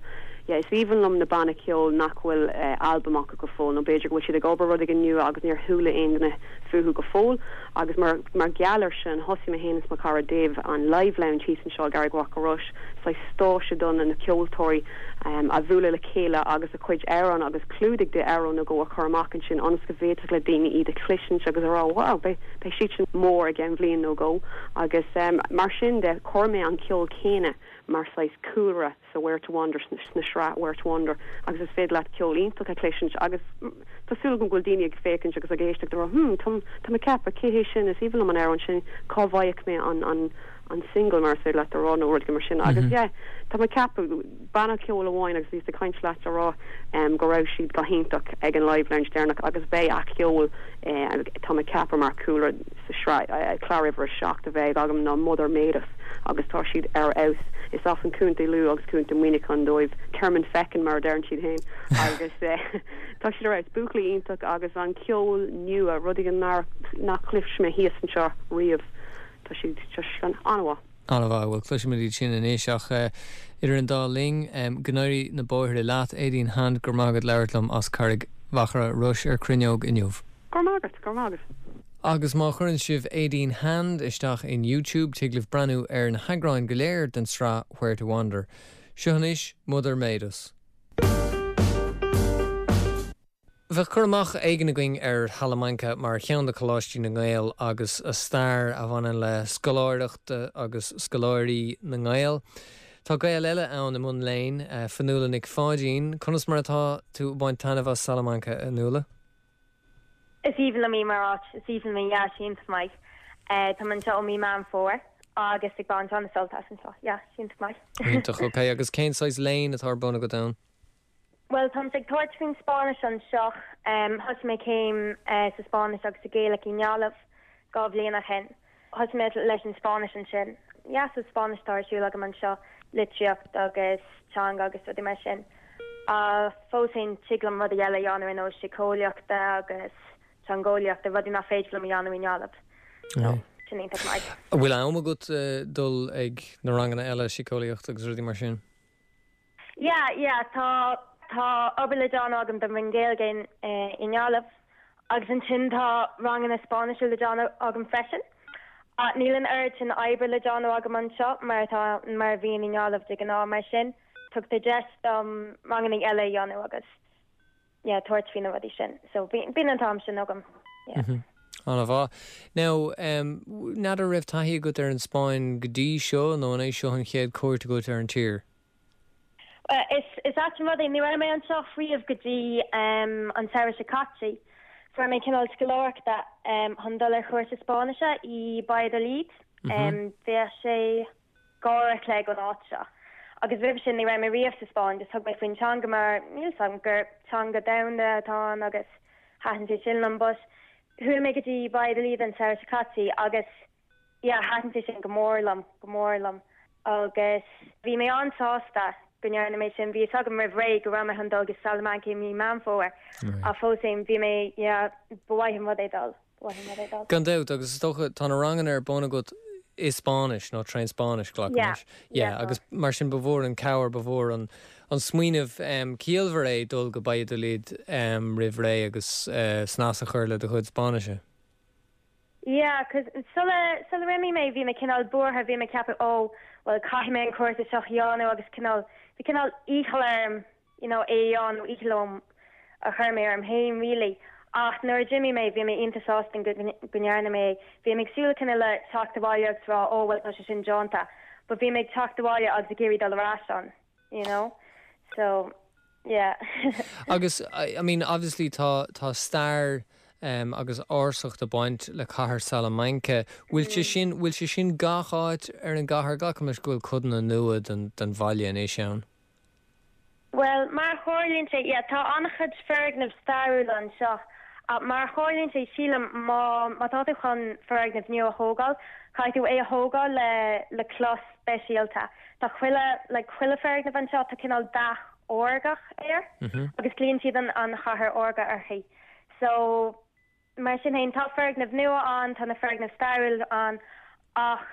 Ja, is aoibhinn liom na bannaí ceoil nach bhfuil uh, album acu go fóill nó b'fhéidir go bhfuil siad ag obair rudaí nua agus níor chuala aon duine fúthu go fóill agus mar mar gheall air sin thosaigh mé féin is mo chara Dave an live lounge thíos anseo i gCarraig Mhachaire Rois saghas stáitse don na ceoltóirí um, a bhualadh le chéile agus a chuid amhrán agus clúdaigh de amhrán a go a chur amach ansin ionas go bhféadfadh le daoine iad a chloisint agus a rá wow beidh siad sin mór i gceann bliain nó dhó agus um, mar sin de chuir mé an ceol céanna mar saghas cúlra sa Where to Wander sna sraith Where to Wander agus is féidir leat ceol iontach a chloisint agus tá súil agam go bhfuil daoine ag féachaint agus ag éisteacht rá hm tá tá mé ceapadh cé hé sin is aoibhinn liom an amhrán sin cá bhfaighidh mé an an an single mar sé leat rá nó rud mar sin agus mm -hmm. yeah, tá mé ceapadh banna ceoil amháin agus bhí ag caint leat a rá um, go raibh siad go hiontach ag an live lounge deireanach agus beidh a ceol eh, tá mé ceapadh mar cúlra sa sraith eh, clár uimhir a seacht a bheidh agam ná Mother Made Us agus tá siad ar fheabhas is as an Contae Lú agus Contae Mhuineacháin dóibh Termonfeckin mar deireann siad féin agus eh, tá siad ar fheabhas buachaillí iontach agus an ceol nua rudaí nach nach chlis mé thíos anseo riamh tá siad an-mhaith. An-mhaith bhfuil cloisfimid iad sin anois ach uh, idir an dá linn um, go n-éirí na bóithre leat Aideen Hand gur mágad leir lom as Carraig Mhachaire Rois ar Cruinneog inniu. Gur mágad gur mágad. Agus má chuireann sibh Aideen Hand isteach in YouTube tig libh breathnú ar na heagráin go léir den sraith Where to Wander. Seo anois Mother Made Us. Bheadh cur amach éigin againn ar Shalamanca mar cheann de Choláistí na nGael agus a stair a bhaineann le scoláireacht agus scoláirí na nGael. Tá Gael eile ann i mbun léinn, Fionnuala Nic Pháidín, conas mar atá tú baint taitneamh as Salamanca a Fhionnuala? Is aoibhinn liom í mar áit is aoibhinn liom yeah, sin maith. Tá mé anseo ó mí Meán Fómhair agus ag baint an-sult as anseo yeah, sin maith. Iontach ok agus cén saghas léinn atá ar bun agat ann? Well tá ag tabhairt faoin Spáinnis anseo um, thosaigh mé céim uh, sa Spáinnis agus sa Ghaeilge i nGaillimh dhá bhliain ó shin. Thosaigh mé leis an Spáinnis ansin. Ja sa Spáinnis tá ar siúl agam anseo litríocht agus teanga agus rudaí mar sin. Uh, fós féin tig liom rudaí eile a dhéanamh ar nós síceolaíochta agus teangeolaíochta rudaí nach féidir liom a dhéanamh i nGaillimh. So, sin iontach maith. Bhfuil am agat uh, dul ag na ranganna eile síceolaíocht agus rudaí mar sin? Yeah, yeah, tá tá obair le déanamh agam don Roinn Gaeilge in eh, i nGaillimh agus ansin tá ranganna Spáinnise le déanamh agam freisin. Uh, níl an oiread sin oibre le déanamh agam anseo mar tá mar bhíonn i nGaillimh de ghnáth mar sin tugtar deis dom ranganna eile a dhéanamh agus yeah, tabhairt faoi na rudaí sin. So bíonn an t-am sin agam. Yeah. Mm -hmm. An-mhaith. Now um, n'fheadar raibh taithí agat ar an Spáinn go dtí seo nó an é seo an chéad cuairt agat ar an tír. Uh, is is ait an rud é ní raibh mé anseo riamh go dtí um, an samhradh seo caite. Fuair mé cineál scoláireachta um, chun dul ar chúrsa Spáinnise i Valladolid. Mm -hmm. um, Bhí sé gára le an áit seo. Agus roimhe sin ní raibh mé riamh sa Spáinn, just thug mé faoin teanga mar níl sam gur teanga domhanda atá ann agus thaitin sé sin liom but chuaigh mé go dtí Valladolid an samhradh seo caite agus yeah, thaitin sé sin go mór liom go mór liom agus bhí mé an-sásta go ndearna mé sin bhí agam roimh ré go raibh mé chun dul go Salamanca mí Meán Fómhair a fós bhí mé b'fhiú an rud é dul. Gan dabht agus is dócha tá na ranganna ar bun agat i Spáinnis nó trén Spáinnis Yeah, yeah, agus mar sin ba mhór an cabhair ba mhór an an smaoineamh um, ciallmhar é dul go Valladolid um, roimh ré agus uh, snas a chur le do chuid Spáinnise. Yeah, cos sula sula raibh mé bhí mé cineál buartha bhí mé ceapadh ó well caithfidh mé an cúrsa seo a dhéanamh agus cineál bhí cineál iachall orm you know é an iachall a chur mé orm féin really. Ach nuair a d'imigh mé bhí mé iontach sásta go ndearna mé bhí mé ag súil cineál le teacht abhaile agus rá ó well tá sé sin déanta, but bhí mé ag teacht abhaile agus ag iarraidh dul ar ais ann, you know? So yeah. Agus I, I mean obviously tá tá stair um, agus ársacht ag baint le cathair Salamanca. Bhfuil sé mm. sin bhfuil sé sin gach áit ar an gcathair glacaim leis go bhfuil codanna nua den, den bhaile anois ann. Well, mar tharlaíonn sé yeah, tá an-chuid foirgnimh stairiúil anseo. Uh, mar tharlaíonn sé sílim má má tá tú chun foirgneamh nua a thógáil, caithfidh tú é a thógáil le le cloch speisialta. Tá chuile le chuile foirgneamh anseo tá cineál dath órgach air Mm -hmm. agus glaonn siad an an chathair órga uirthi. So mar sin féin tá foirgnimh nua ann tá na foirgnimh stairiúil ann ach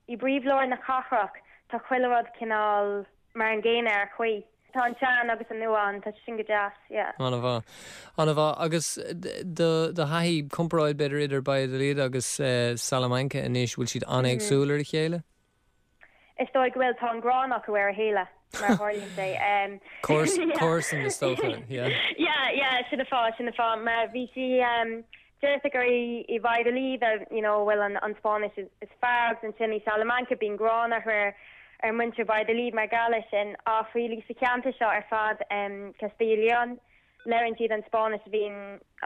i bpríomhlár na cathrach tá chuile rud cineál mar an gcéanna ar chaoi. Tá an sean agus an nua ann tá sin go deas, yeah. An-mhaith. An-mhaith agus do do thaithí comparáid b'fhéidir idir Valladolid agus uh, Salamanca anois bhfuil siad an-éagsúil ar a chéile? Is dóigh go bhfuil tá an ghráin acu ar a chéile mar tharlaíonn sé. Um, Comharsan is dócha, yeah. Yeah, yeah, sin an fáth sin an fáth mar bhí sí um, deirtear gur i i Valladolid you know bhfuil an an Spáinnis is, is fearr agus ansin i Salamanca bíonn gráin ar ar muintir Valladolid mar gheall air sin ach really sa cheantar seo ar fad um, Castilla León labhraíonn siad an Spáinnis bhíonn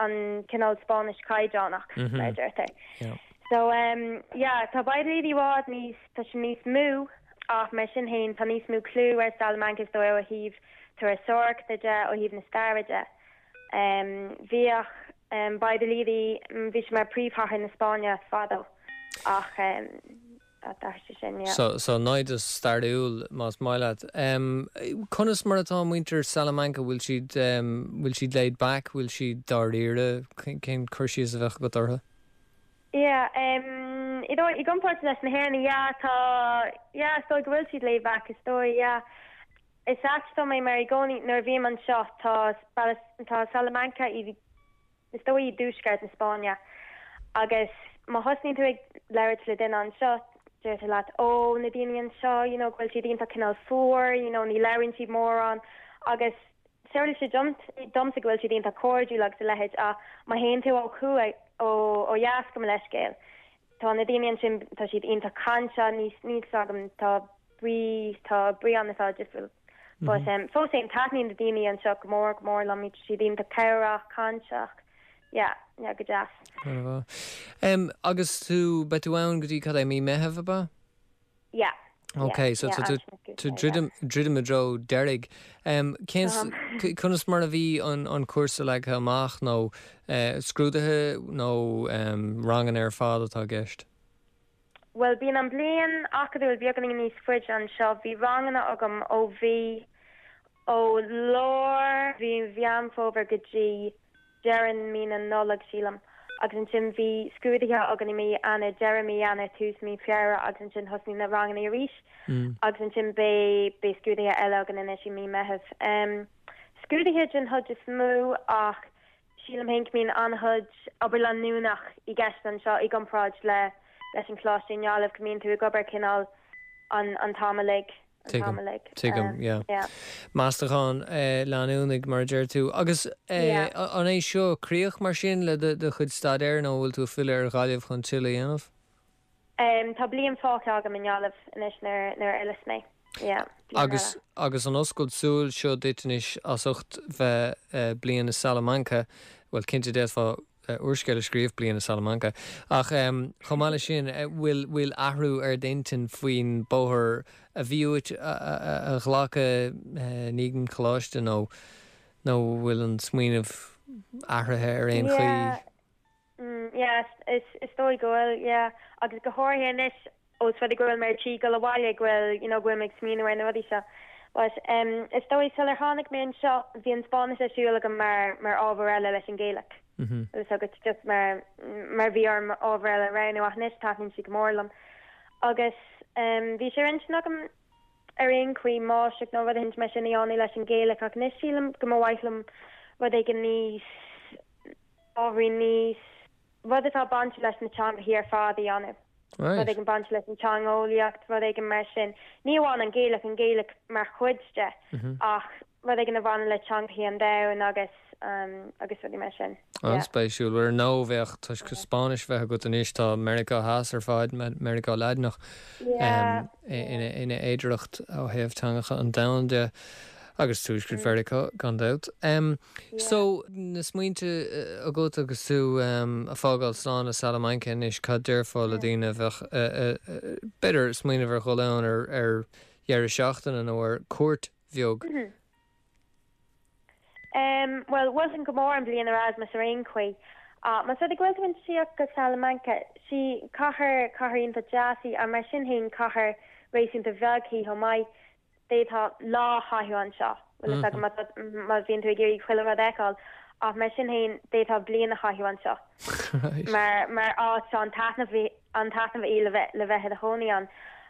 an cineál Spáinnis caighdeánach Mm -hmm. mar deirtear. Yeah. So um, yeah, tá Valladolid i bhfad níos tá sé níos mó ach mar sin féin tá níos mó clú ar Salamanca is dóigh ó thaobh turasóireachta de ó thaobh na staire de. Um, bhíodh um, Valladolid bhí sé mar príomhchathair na Spáinne fadó ach um, sé sin yeah. So, so naimhdeas stairiúil más maith leat. Um, conas mar atá muintir Salamanca bhfuil siad um, bhfuil siad laid back, bhfuil siad dáiríre cén cur síos a bheadh agat orthu? Yeah, um, i dóigh i gcomparáid leis na hÉireannaigh yeah, tá yeah, is dóigh go bhfuil siad laid back is dóigh yeah. Is ait dom é mar i gcónaí nuair a bhím anseo tá tá Salamanca i is dóigh i dtuaisceart na Spáinne agus má thosnaíonn tú ag labhairt le duine anseo deirtear leat ó na daoine anseo you know, go bhfuil siad iontach cineál fuar you know, ní labhraíonn siad mórán agus tharla sé domsa go bhfuil siad iontach cairdiúil agus a leithéid a má théann tú ó thuaidh ó ó dheas go leiscéil. Tá na daoine ansin tá siad iontach cainteach níos níos agam tá brí tá brí an atá difriúil. But um, fós féin taitníonn na daoine anseo go mór go mór liom siad iontach cabhrach cainteach. Yeah, yeah, go deas. Um, agus tú beidh tú ann go dtí cad é mí Mheithimh ab ea? Yeah. Ok, so yeah, tú tú druidim druidim i dtreo deiridh. Um, Conas mar a bhí an, an cúrsa leagtha amach nó uh, scrúduithe nó um, ranganna ar fad atá i gceist? Well bíonn an bliain acadúil beagáinín níos faide anseo bhí ranganna agam ó bhí ó lár mhí Mheán Fómhair go dtí deireadh mí na Nollag sílim agus ansin bhí scrúduithe againn i mí Eanáir deireadh mí Eanáir tús mí Feabhra agus ansin thosnaigh na ranganna arís Mm. agus ansin beidh beidh scrúduithe eile againn anois i mí Mheithimh. Um, Scrúduithe den chuid is mó ach sílim féin go mbíonn an-chuid obair leanúnach i gceist anseo i gcomparáid le leis an choláiste i nGaillimh go mbíonn tú ag obair cineál an an t-am uilig. Tuigim, tuigim, yeah. yeah. Meastachán eh, leanúnach mar a deir tú. Agus eh, an é seo críoch mar sin le do chuid staidéir nó bhfuil tú filleadh ar Ghaillimh chun tuilleadh a dhéanamh? Um, tá bliain fágtha agam i nGaillimh anois nuair nuair a fhilleas mé. Yeah, agus agus an oscailt súl seo duit anois as ucht bheith uh, bliain i Salamanca, well cinnte d'fhéadfá uh, úrscéal a scríobh bliain i Salamanca. Ach um, chomh maith leis sin bhfuil bhfuil athrú ar d'intinn faoin bóthar a bhí uait a, a, a ghlacadh uh, i ndiaidh an choláiste nó nó bhfuil an smaoineamh athraithe ar aon chaoi. Yeah. Mm, yeah, is is dóigh go bhfuil, yeah. Agus go háirithe anois ós rud é go bhfuil mé ar tí dul abhaile go bhfuil you know, go bhfuil mé ag smaoineamh ar na rudaí seo. But um, is dóigh sular tháinig mé anseo bhí an Spáinnis ar siúl agam mar mar ábhar eile leis an Ghaeilge. Mm -hmm. Agus agus just mar mar bhí orm ábhar eile a roghnú ach anois taitníonn sé go mór liom. Agus um, bhí sé ar intinn agam ar aon chaoi máistreacht nó rud éigin mar sin a dhéanamh leis an Ghaeilge ach anois sílim go mba mhaith liom rud éigin níos ábhairín níos rud atá bainte leis na teangacha ar fad a dhéanamh. Right. Rud éigin bainte leis an teangeolaíocht, rud éigin mar sin. Ní amháin an Ghaeilge an Ghaeilge mar chuid de Mm -hmm. ach rud éigin a bhaineann le teangacha an domhain agus um, agus rudaí mar sin. An-spéisiúil ar nó bheith toisc Spáinnis bheith agat anois tá Meiriceá Theas ar fad Meiriceá Laidineach Yeah. ina ina fhéidearthacht ó thaobh teangacha an domhain de agus tuaisceart Mheiriceá gan dabht. Um, So na smaointe agat agus tú um, ag fágáil slán le Salamanca anois cad déarfá le daoine bheith b'fhéidir smaoineamh ar dhul ann ar ar dheireadh seachtaine nó ar cuairt bheag. Mm -hmm. Um, well, mholfainn go mór an bliain Erasmus ar aon chaoi. Uh, Más rud é go bhfuil tú ag tíocht go Salamanca sí cathair cathair iontach deas í a mar sin féin cathair réasúnta bheag í chomh maith d'fhéadfá lá a chaitheamh anseo. Well mm -hmm. má bhíonn tú ag iarraidh chuile rud a fheiceáil ach mar sin féin d'fhéadfá bliain a chaitheamh anseo. Mar mar áit an taitneamh an taitneamh í le bheith le bheith i do chónaí ann.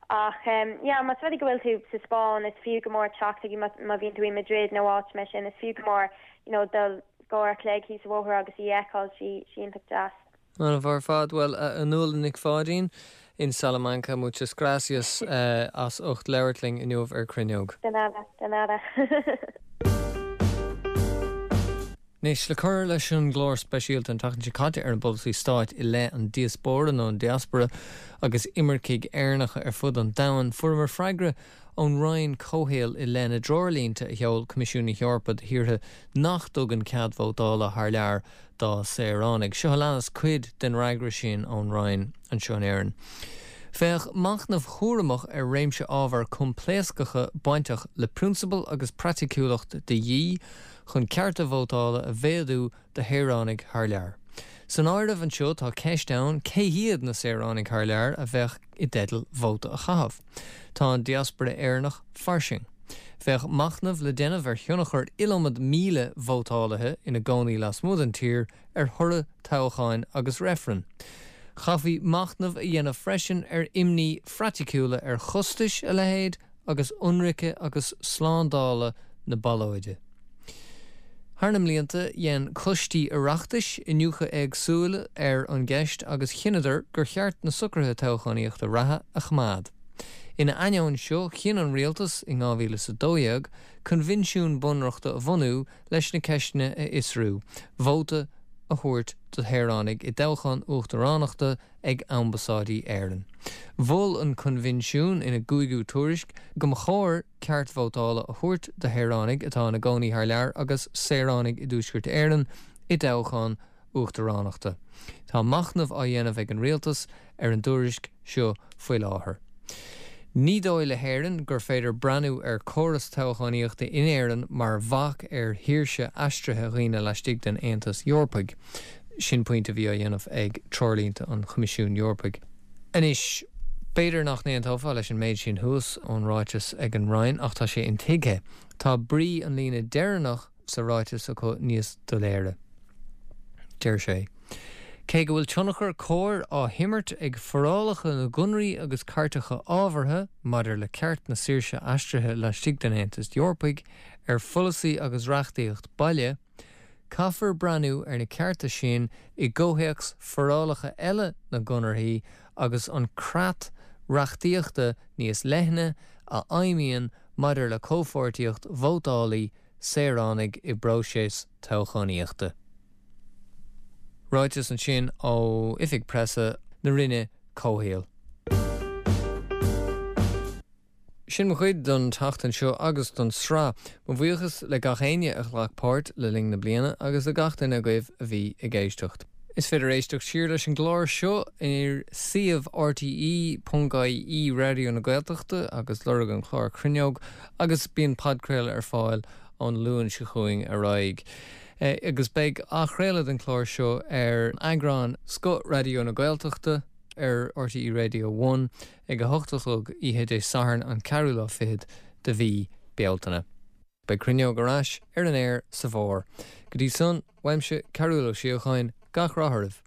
Ach um, yeah, más rud é go bhfuil tú sa Spáinn is fiú go mór teacht má bhíonn tú i Madrid nó áit mar sin is fiú go mór you know, dul go ar cléig sa bhóthar agus í fheiceáil sí sí iontach deas. An bhar fad well uh, Nuala Nic Pháidín in Salamanca muchas gracias uh, as ucht labhairt linn inniu ar Cruinneog. De nada, de nada. Anois le cur leis an gclár speisialta an tseachtain seo caite ar an bpolasaí stáit i leith an diaspóra nó an diaspora agus imircigh Éireannacha ar fud an domhain fuaireamar freagra ón Roinn Comhshaoil i leith na dtreoirlínte a sheol Coimisiún na hEorpa do thíortha nach dtugann cead vótála thar lear dá saoránaigh. Seo a leanas cuid den fhreagra sin ón Roinn anseo in Éirinn. Féach machnamh cúramach ar réimse ábhar coimpléascacha bainteach le prionsabail agus praiticiúlacht de dhíth chun cearta vótála a mhéadú do shaoránaigh thar lear. San áireamh anseo tá ceist ann cé hiad na saoránaigh thar lear a bheadh i dteideal vóta a chaitheamh. Tá an diaspora Éireannach fairsing. Bheadh machnamh le déanamh ar thionchar iliomad míle vótálaithe ina gcónaí lasmuigh den tír ar thoradh toghcháin agus reifreann. Chaithfí machnamh a dhéanamh freisin ar imní phraiticiúla ar chostais a leithéid agus ionraice agus slándála na ballóide. Thar na mblianta dhein coistí Oireachtais iniúchadh éagsúla ar an gceist agus chinneadar gur cheart na socruithe toghchánaíochta reatha a choimeád. Ina ainneoin seo chinn an rialtas in dhá mhíle is a dó dhéag coinbhinsiún bunreachta a bhunú leis na ceisteanna a fhiosrú, vóta a thabhairt do shaoránaigh i dtoghchán uachtaránachta ag ambasáidí Éireann. Mhol an coinbhinsiún ina gcúigiú tuairisc go mba chóir ceart vótála a thabhairt do shaoránaigh atá ina gcónaí thar lear agus saoránaigh i dTuaisceart Éireann i dtoghchán uachtaránachta. Tá machnamh á dhéanamh ag an rialtas ar an dtuairisc seo faoi láthair. Ní dóigh le hÉirinn gur féidir breathnú ar chóras toghchánaíochta in Éirinn mar bhac ar shaoirse aistrithe dhaoine laistigh den Aontas Eorpaigh. Sin pointe a bhí á dhéanamh ag treoirlínte an Choimisiúin Eorpaigh. Anois, b'fhéidir nach n-aontófá leis an méid sin thuas ón ráiteas ag an Roinn ach tá sé intuigthe. Tá brí an líne deireanach sa ráiteas acu níos doiléire. Deir sé. Cé go bhfuil tionchar cóir á himirt ag forálacha na gconarthaí agus cairteacha ábhartha maidir le ceart na saoirse aistrithe laistigh den Aontas Eorpaigh ar pholasaí agus reachtaíocht baile, caithfear breathnú ar na cearta sin i gcomhthéacs forálacha eile na gconarthaí agus an creat reachtaíochta níos leithne a fheidhmíonn maidir le comhpháirtíocht vótála saoránaigh i bpróiseas toghchánaíochta. Ráiteas ansin ó oifig preasa na Roinne Comhshaoil. Sin mo chuid don tseachtain seo agus don sraith. Mo bhuíochas le gach éinne a ghlac páirt le linn na bliana agus le gach duine agaibh a bhí ag éisteacht. Is féidir éisteacht siar leis an gclár seo ar suíomh RTE ponc IE Raidió na Gaeltachta agus lorg an clár Cruinneog agus bíonn podchraoladh ar fáil ón Luan seo chugainn ar aghaidh. E, agus beidh athchraoladh den chlár seo ar eagrán Scoth Raidió na Gaeltachta ar RTE Radio One ag a hocht a chlog oíche Dé Sathairn an ceathrú lá fichead de mhí Bealtaine. Beidh Cruinneog ar ais ar an aer sa bhfómhar. Go dtí san, uaimse Cearúl Ó Síocháin gach rath oraibh.